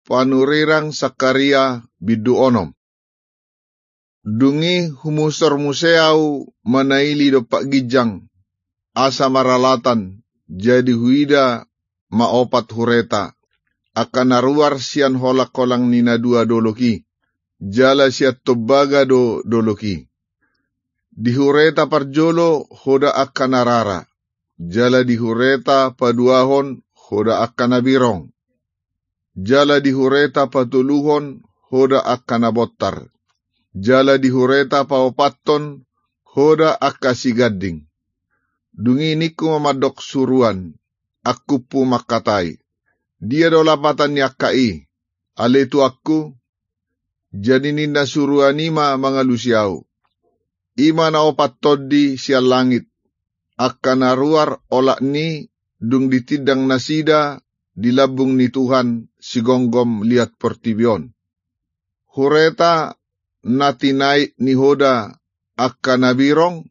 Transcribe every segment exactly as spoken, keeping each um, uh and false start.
Panurirang Sakaria bindu onom. Dung i humusor muse ahu manaili dompak ginjang, asa maralatan, jadi huida ma opat hureta, angka na ruar sian holang-holang ni na dua dolok i, jala sian tombaga do dolok i. Di hureta parjolo hoda angka na rara, jala di hureta paduahon hoda angka na birong, jala di hureta patoluhon hoda angka na bontar, jala di hureta paopathon hoda angka siganding. Dung i ningku ma mandok suruan, angkuphu mangkatai: Dia do lapatan ni angka i, ale tuanku? Jadi ninna suruan i ma mangalusi ahu: I ma na opat tondi sian langit, angka na ruar olat ni dung ditindang nasida di lambung ni Tuhan sigomgom liat portibi on. Hureta na tinait ni hoda angka na birong,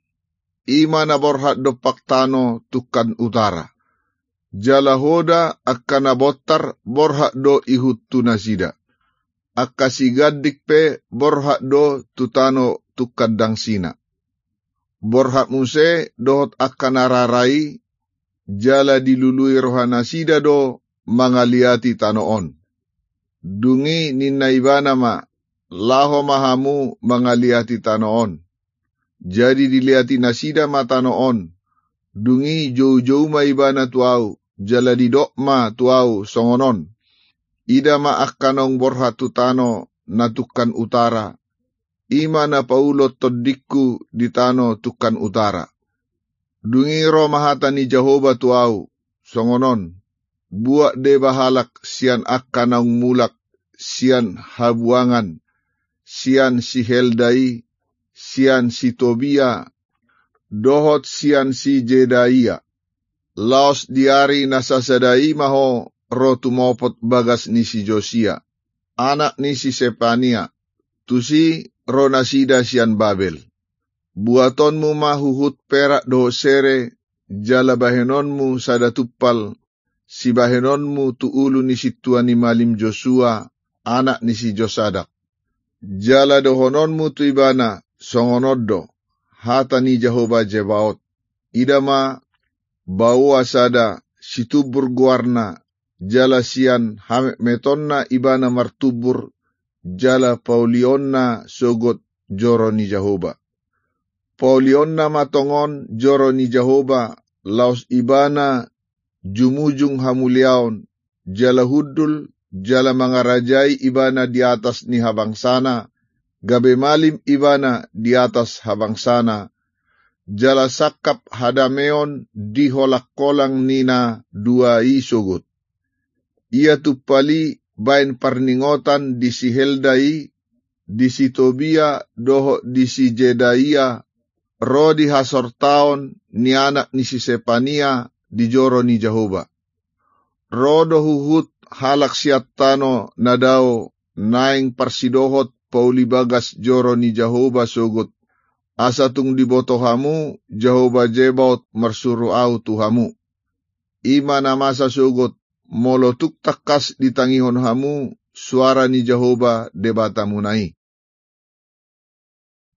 i ma na borhat dompak tano tungkan utara. Jala hoda angka na bontar borhat do ihut tu nasida. Angka siganding pe borhat do tu tano tungkan dangsina. Borhat muse dohot angka na rara i, jala dilului rohanasida do mangaliati tano on. Dung i ninna ibana ma: Laho ma hamu mangaliati tano on. Jadi diliati nasida ma tano on. Dung i joujou ma ibana tu ahu, jala didok ma tu ahu songon on: Ida ma angka naung borhat tu tano na tungkan utara, i ma na paulon tondingku di tano tungkan utara. Dung i ro ma hata ni Jahowa tu ahu songon on: Buat deba halak sian angka naung mulak sian habuangan, sian si Heldai, sian si Tobia, dohot sian si Jedaia. Laos di ari na sasada i ma ho ro tumopot bagas ni si Josia, anak ni si Sepania, tusi ro nasida sian Babel. Buatonmu ma huhut perak dohot sere, jala bahenonmu sada tumpal, sibahenonmu tu ulu ni sintua ni malim Josua, anak ni si Josadak. Jala dohononmu tu ibana songon on do: Hata ni Jahowa Zebaot: Ida ma, baoa sada, situmbur goarna, jala sian hametmetonna ibana martumbur, jala paulionna sogot joro ni Jahowa. Paulionna ma tongon joro ni Jahowa, laos ibana jumujung hamuliaon, jala hundul, jala mangarajai ibana di atas ni habangsana, gabe malim ibana di atas habangsana, jala sangkap hadameon di holang-holang ni na dua i sogot. Ia tumpal i baen parningotan di si Heldai, di si Tobia dohot di si Jedaia, ro di hasortaon ni anak ni si Sepania di joro ni Jahowa. Ro do huhut halak sian tano na dao naeng parsidohot pauli bagas joro ni Jahowa sogot, asa tung diboto hamu Jahowa Zebaot marsuru ahu tu hamu. I ma na masa sogot, molo tung tangkas ditangihon hamu suara ni Jahowa Debatamuna i.